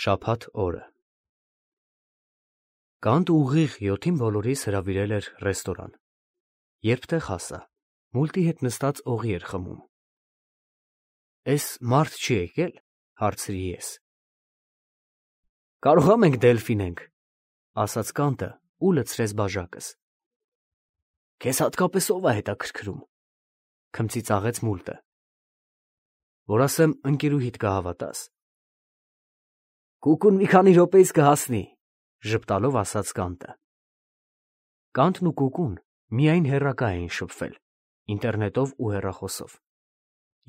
Շաբաթ օրը Կանտ ուղիղ 7-ին բոլորիս հրավիրել էր ռեստորան։ Երբ տեղ հասա, Մուլտի հետ նստած օղի էր խմում։ «Էս մարդ չի եկել», հարցրի ես։ «Կարողա մենք դելֆինենք», ասաց Կանտը ու լցրեց բաժակս։ «Քեզ հատկապես ով է հետաքրքրում», քմծիծաղեց Մուլտը։ «Որ ասեմ ընկերուհիդ կհավատաս»։ «Կուկուն մի քանի րոպեից կհասնի», ժպտալով ասաց Կանտը։ Կանտն ու Կուկուն միայն հեռակա էին շփվել, ինտերնետով ու հեռախոսով։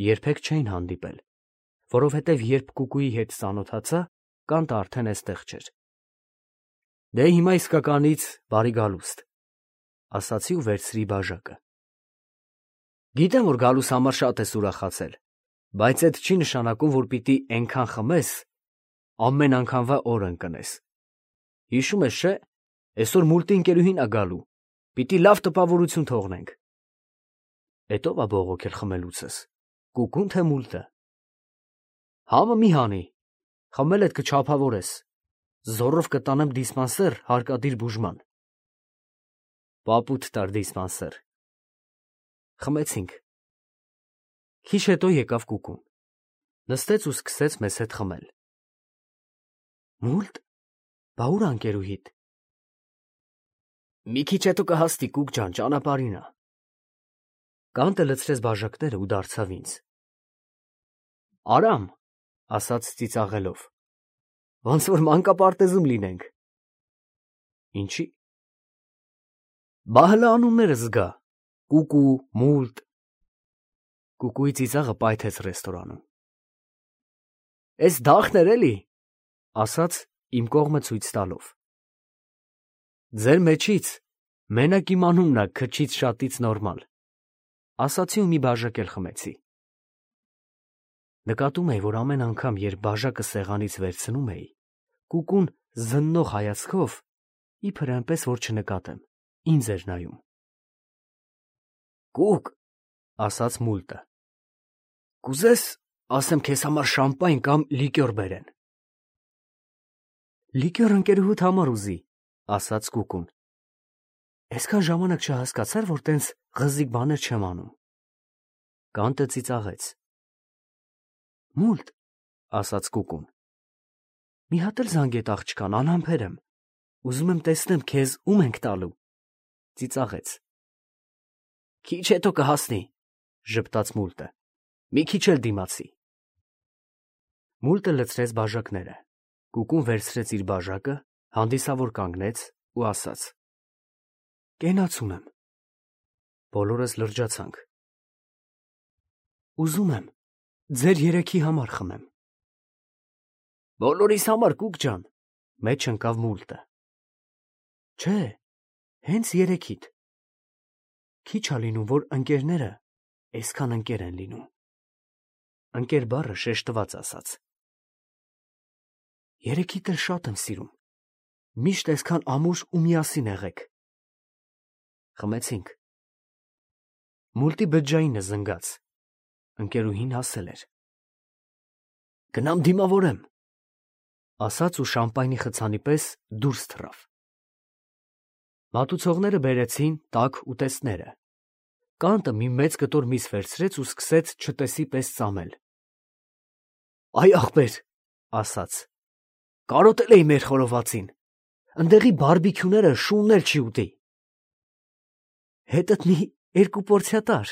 Երբեք չէին հանդիպել, որովհետև երբ Կուկուի հետ ծանոթացա, Կանտը արդեն էստեղ չէր։ «Դե հիմա իսկականից բարի գալուստ», ասացի ու վերցրի բաժակը։ «Գիտեմ, որ գալուս համար շատ ես ուրախացել, բայց էդ չի նշանակում, որ պիտի էնքան խմես, ամեն անգամվա օր ընկնես։ Հիշում ես, չէ՞, այսօր Մուլտի ընկերուհին ա գալու, պիտի լավ տպավորություն թողնենք»։ «Էդ ո՞վ ա բողոքել խմելուցս, Կուկուն թե Մուլտը»։ «Համը մի հանի, խմել էդ կչափավորես, զոռով կտանեմ դիսպանսեր հարկադիր բուժման»։ «Պապուտ տար դիսպանսեր»։ Խմեցինք։ Քիչ հետո եկավ Կուկուն, նստեց ու սկսեց մեզ հետ խմել։ «Մուլտ, բա ուր ա ընկերուհիդ»։ «Մի քիչ հետո կհասնի, Կուկ ջան, ճանապարհին ա»։ Կանտը լցրեց բաժակները ու դարձավ ինձ։ «Արամ», ասաց ծիծաղելով, «ոնց որ մանկապարտեզում լինենք»։ «Ինչի՞։»։ «Բա հլը անունները զգա, Կուկու, Մուլտ»։ Կուկուի ծիծաղը պայթեց ռեստորանում։ «Էս դախն էր էլի», ասաց իմ կողմը ցույց տալով։ «Ձեր մեջից մենակ իմ անունն ա քչից շատից նորմալ», ասացի ու մի բաժակ էլ խմեցի։ Նկատում էի, որ ամեն անգամ, երբ բաժակը սեղանից վերցնում էի, Կուկուն զննող հայացքով, իբր այնպես որ չնկատեմ, ինձ էր նայում։ «Կուկ», ասաց Մուլտը, «կուզես, ասեմ քեզ համար շամպայն կամ լիկյոր բերեն»։ «Լիկյոր ընկերուհուդ համար ուզի», ասաց Կուկուն։ «Այսքան ժամանակ չհասկացար, որ տենց ղզիկ բաներ չեմ անում»։ Կանտը ծիծաղեց։ «Մուլտ», ասաց Կուկուն, «մի հատ էլ զանգետ աղջկան, անհամբեր եմ, ուզում եմ տեսնեմ քեզ ում ենք տալու»։ Ծիծաղեց։ «Քիչ հետո կհասնի», ժպտաց Մուլտը, «մի քիչ էլ դիմացի»։ Մուլտը լցրեց բաժակները, Կուկուն վերցրեց իր բաժակը, հանդիսավոր կանգնեց ու ասաց. «Կենացում եմ»։ Բոլորս լրջացանք։ «Ուզում եմ ձեր երեքի համար խմեմ»։ «Բոլորիս համար, Կուկ ջան», մեջ ընկավ Մուլտը։ «Չէ, հենց երեքիդ։ Քիչ ա լինում, որ ընկերները այսքան ընկեր են լինում»։ Ընկեր բառը շեշտված ասաց։ «Երեքիդ էլ շատ եմ սիրում, միշտ այսքան ամուր ու միասին եղեք»։ Խմեցինք։ Մուլտի բջջայինը զնգաց, ընկերուհին հասել էր։ «Գնամ դիմավորեմ», ասաց ու շամպայնի խցանի պես դուրս թռավ։ Մատուցողները բերեցին տաք ուտեստները։ Կանտը մի մեծ կտոր միս վերցրեց ու սկսեց չտեսի պես ծամել։ «Այ ախպեր», ասաց, «կարոտել էի մեր խորովածին, ընդեղի բարբիքյուները շունն էլ չի ուտի»։ «Հետդ մի 2 պորցիա տար»,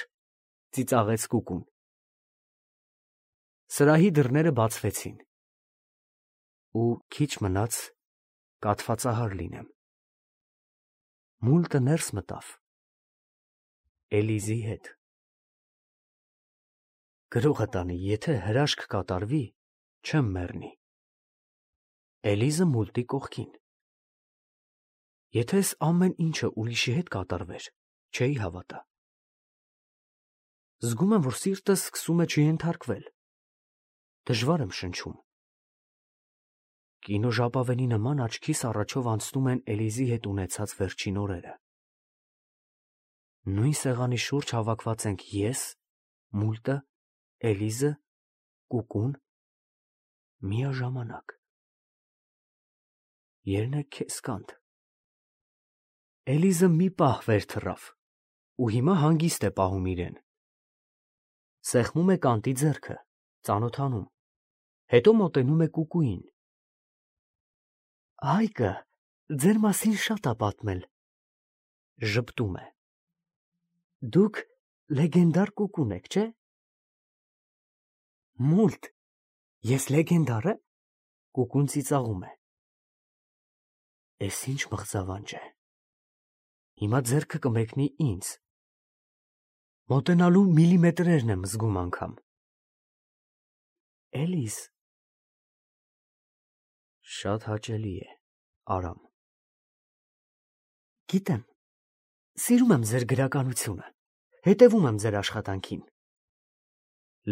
ծիծաղեց Կուկուն։ Սրահի դռները բացվեցին, ու քիչ մնաց կաթվածահար լինեմ։ Մուլտը ներս մտավ Էլիզի հետ։ Գրողը տանի, եթե հրաշք կատարվի, չեմ մեռնի։ Էլիզը Մուլտի կողքին։ Եթե այս ամեն ինչը ուրիշի հետ կատարվեր, չէի հավատա։ Զգում եմ, որ սիրտս սկսում է չենթարկվել։ Դժվար եմ շնչում։ Կինոժապավենի նման աչքիս առաջով անցնում են Էլիզի հետ ունեցած վերջին օրերը։ Նույն սեղանի շուրջ հավաքված ենք ես, Մուլտը, Էլիզը, Կուկուն, միաժամանակ։ Երնեք քեզ կանտ։ Էլիզը մի պահ վեր թռավ ու հիմա հանգիստ է պահում իրեն։ Սեղմում է կանտի ձեռքը, ծանոթանում, հետո մոտենում է կուկուին։ Հայկը ձեր մասին շատ ա պատմել, ժպտում է։ Դուք լեգենդար կուկուն եք, չէ՞։ Մուլտ, ես լեգենդար է։ Կուկուն ծիծաղում է։ Էս ինչ մղձավանջ է։ Հիմա ձեռքը կմեկնի ինձ։ Մոտենալու միլիմետրերն եմ զգում անգամ։ Էլիզ։ Շատ հաճելի է, Արամ։ Գիտեմ, սիրում եմ ձեր գրականությունը, հետևում եմ ձեր աշխատանքին։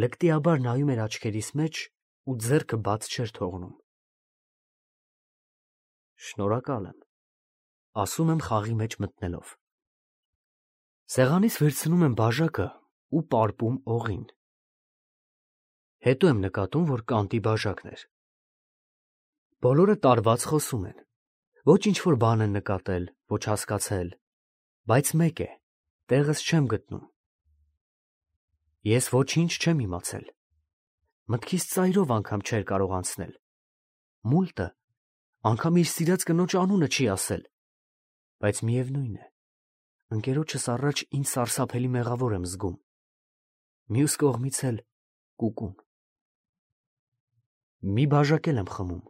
Լկտիաբար նայում էր աչքերիս մեջ ու ձեռքը բաց չէր թողնում։ Շնորհակալ եմ, ասում եմ խաղի մեջ մտնելով։ Սեղանից վերցնում եմ բաժակը ու պարպում օղին։ Հետո եմ նկատում, որ կանտի բաժակն էր։ Բոլորը տարված խոսում են, ոչ ինչ-որ բան են նկատել, ոչ հասկացել, բայց մեկ է, տեղս չեմ գտնում։ Ես ոչինչ չեմ իմացել, մտքիս ծայրով անգամ չէր կարող անցնել։ Մուլտը անգամ իր սիրած կնոջ անունը չի ասել, բայց միևնույն է, ընկերոջս առաջ ինձ սարսափելի մեղավոր եմ զգում, մյուս կողմից էլ կուկուն։ Մի բաժակ էլ եմ խմում։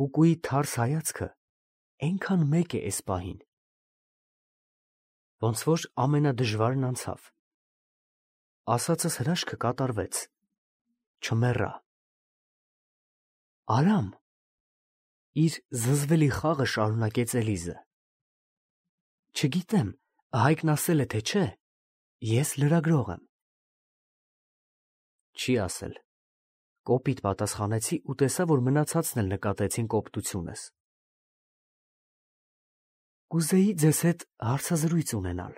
Կուկուի թարս հայացքը այնքան մեկ է էս պահին։ Ոնց որ ամենադժվարն անցավ։ Ասածս հրաշքը կատարվեց։ Չմեռա։ Արամ, իր զզվելի խաղը շարունակեց Էլիզը։ Չգիտեմ, Հայկն ասել է, թե չէ, ես լրագրող եմ։ Չի ասել։ Կոպիտ պատասխանեցի ու տեսա, որ մնացածն էլ նկատեցին կոպտությունս։ Կուզեի ձեզ հետ հարցազրույց ունենալ։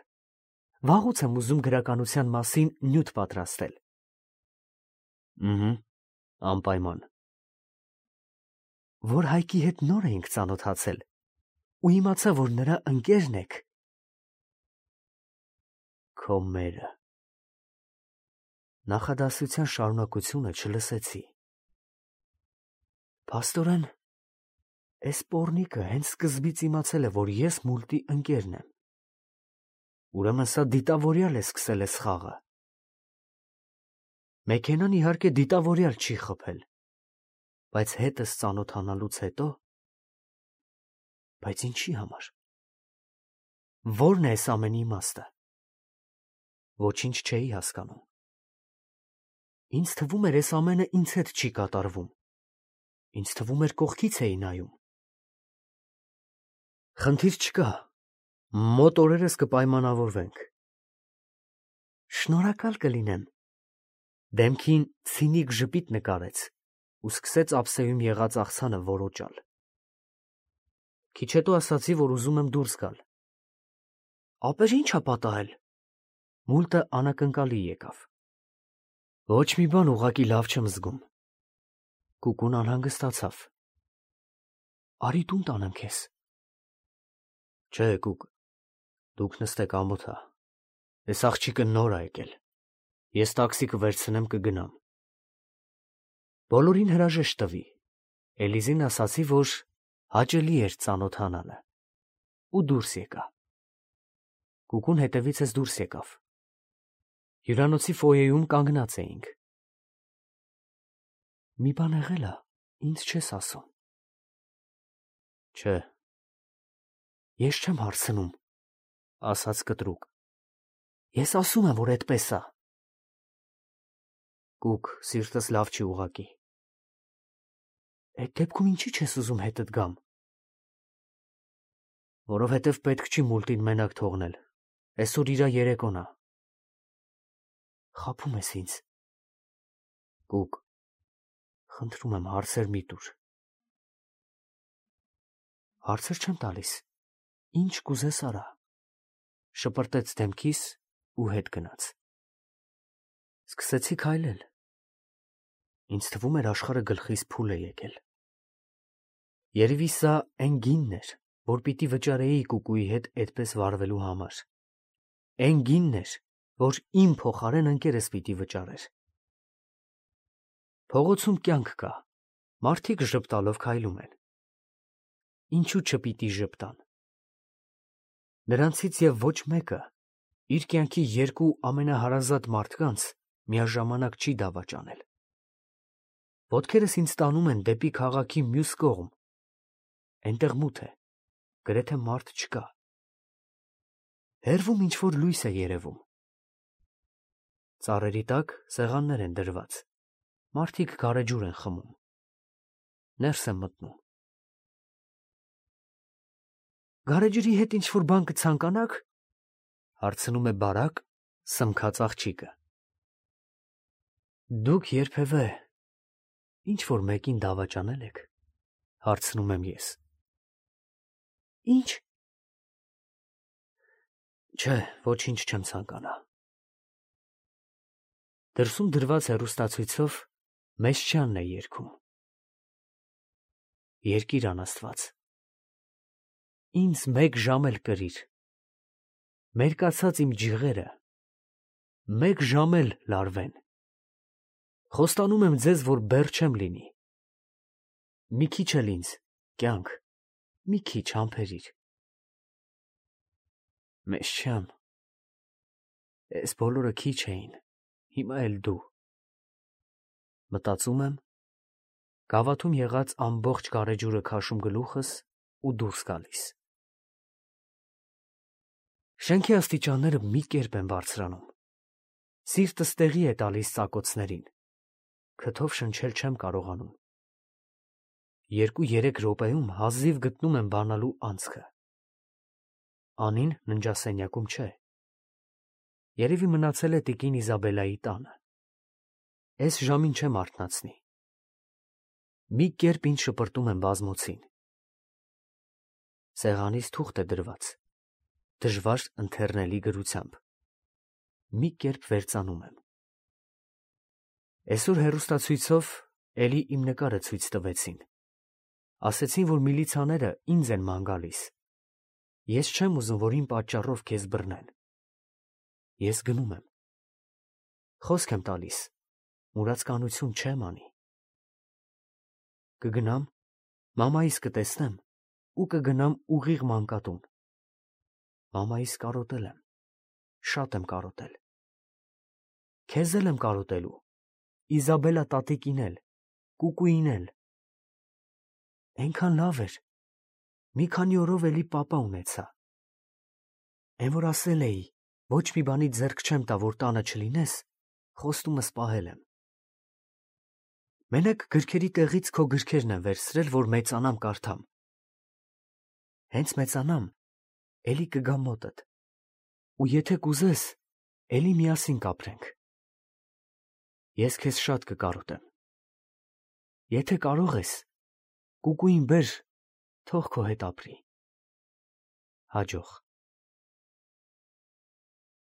Վաղուց եմ ուզում գրականության մասին նյութ պատրաստել։ Անպայման։ Որ Հայկի հետ նոր էինք ծանոթացել ու իմացա, որ նրա ընկերն եք։ Քո մերը։ Նախադասության շարունակությունը չլսեցի։ Փաստորեն, էս պոռնիկը հենց սկզբից իմացել է, որ ես Մուլտի ընկերն եմ։ Ուրեմն սա դիտավորյալ է սկսել էս խաղը։ Մեքենան իհարկե դիտավորյալ չի խփել, բայց հետս ծանոթանալուց հետո… Բայց ինչի համար։ Ո՞րն է էս ամենի իմաստը։ Ոչինչ չէի հասկանում։ Ինձ թվում էր, էս ամենը ինձ հետ չի կատարվում։ Ինձ թվում էր, կողքից էի նայում։ Խնդիր չկա, մոտ օրերս կպայմանավորվենք։ Շնորհակալ կլինեմ։ Դեմքին ցինիկ ժպիտ նկարեց ու սկսեց ափսեում եղած աղցանը որոճալ։ Քիչ հետո ասացի, որ ուզում եմ դուրս գալ։ Ապեր ի՞նչ ա պատահել։ Մուլտը անակնկալի եկավ։ Ոչ մի բան ուղղակի լավ չեմ զգում։ Կուկուն անհանգստացավ։ Արի տուն տանեմ քեզ։ Չէ, Կուկ, դուք նստեք ամոթ ա։ Էս աղջիկը նոր ա եկել։ Ես տաքսի կվերցնեմ, կգնամ։ Բոլորին հրաժեշտ տվի։ Էլիզին ասացի, որ հաճելի էր ծանոթանալը։ Ու դուրս եկա։ Կուկուն հետևից դուրս եկավ։ Հյուրանոցի ֆոյեում կանգնած էինք։ Մի բան եղել ա, ինձ չես ասում։ Չէ։ Ես չեմ հարցնում, ասաց կտրուկ։ Ես ասում եմ, որ էդպես ա։ Կուկ, սիրտս լավ չի ուղղակի։ Էդ դեպքում ինչի չես ուզում հետդ գամ։ Որովհետև պետք չի Մուլտին մենակ թողնել։ Այսօր իրա երեկոն ա։ Խաբում ես ինձ։ Կուկ, խնդրում եմ, հարցեր մի տուր։ Հարցեր չեմ տալիս։ Ինչ կուզես արա։ Շպրտեց դեմքիս ու հետ գնաց։ Սկսեցի քայլել։ Ինձ թվում էր աշխարհը գլխիս փուլ է եկել։ Երևի սա այն գինն էր, որ պիտի վճարեի Կուկուի հետ այդպես վարվելու համար։ Այն գինն էր, որ իմ փոխարեն ընկերս պիտի վճարեր։ Փողոցում կյանք կա, մարդիկ ժպտալով քայլում են։ Ինչու չպիտի ժպտան։ Նրանցից և ոչ մեկը իր կյանքի երկու ամենահարազատ մարդկանց միաժամանակ չի դավաճանել։ Ոտքերս ինձ տանում են դեպի քաղաքի մյուս կողմ, այնտեղ մութ է, գրեթե մարդ չկա։ Հեռվում ինչ-որ լույս է երևում։ Ծառերի տակ սեղաններ են դրված, մարդիկ գարեջուր են խմում։ Ներս եմ մտնում։ Գարեջրի հետ ինչ-որ բան կցանկանաք, հարցնում է բարակ, սմքած աղջիկը։ Դուք երբևէ ինչ-որ մեկին դավաճանել եք, հարցնում եմ ես։ Ինչ։ Չէ, ոչինչ չեմ ցանկանա։ Դրսում դրված հեռուստացույցով Մեսչյանն է երգում։ Երկիր անաստված։ Ինձ 1 ժամ էլ կրիր։ Մերկացած իմ ջիղերը 1 ժամ էլ լարվեն։ Խոստանում եմ ձեզ, որ բեռ չեմ լինի։ Մի քիչ էլ ինձ, կյանք, մի քիչ համբերիր։ Մեսչյան, էս բոլորը քիչ էին, հիմա էլ դու։ Մտածում եմ, գավաթում եղած ամբողջ գարեջուրը քաշում գլուխս ու դուրս գալիս։ Շենքի աստիճանները մի կերպ են բարձրանում։ Սիրտս տեղի է տալիս ծակոցներին։ Քթով շնչել չեմ կարողանում։ 2-3 րոպեում հազիվ գտնում եմ բանալու անցքը։ Անին ննջասենյակում չէ։ Երևի մնացել է տիկին Իզաբելայի տանը։ Էս ժամին չեմ արթնացնի։ Մի կերպ ինձ շպրտում եմ բազմոցին։ Սեղանիս թուղթ է դրված, դժվար ընթեռնելի գրությամբ։ Մի կերպ վերծանում եմ։ Այսօր հեռուստացույցով էլի իմ նկարը ցույց տվեցին։ Ասեցին, որ միլիցաները ինձ են ման գալիս։ Ես չեմ ուզում, որ իմ պատճառով քեզ բռնեն։ Ես գնում եմ։ Խոսք եմ տալիս, մուրացկանություն չեմ անի։ Կգնամ, մամայիս կտեսնեմ ու կգնամ ուղիղ մանկատուն։ Մամայիս կարոտել եմ, շատ եմ կարոտել։ Քեզ էլ եմ կարոտելու, Իզաբելա տատիկին էլ, Կուկուին էլ։ Այնքան լավ էր, մի քանի օրով էլի պապա ունեցա։ Էն որ ասել էի, ոչ մի բանի ձեռք չեմ տա, որ տանը չլինես, խոստումս պահել եմ։ Մենակ գրքերի տեղից քո գրքերն եմ վերցրել, որ մեծանամ կարդամ։ Հենց մեծանամ, էլի կգամ մոտդ, ու եթե կուզես, էլի միասին կապրենք։ Ես քեզ շատ կկարոտեմ։ Եթե կարող ես, Կուկուին բեր, թող քո հետ ապրի։ Հաջող։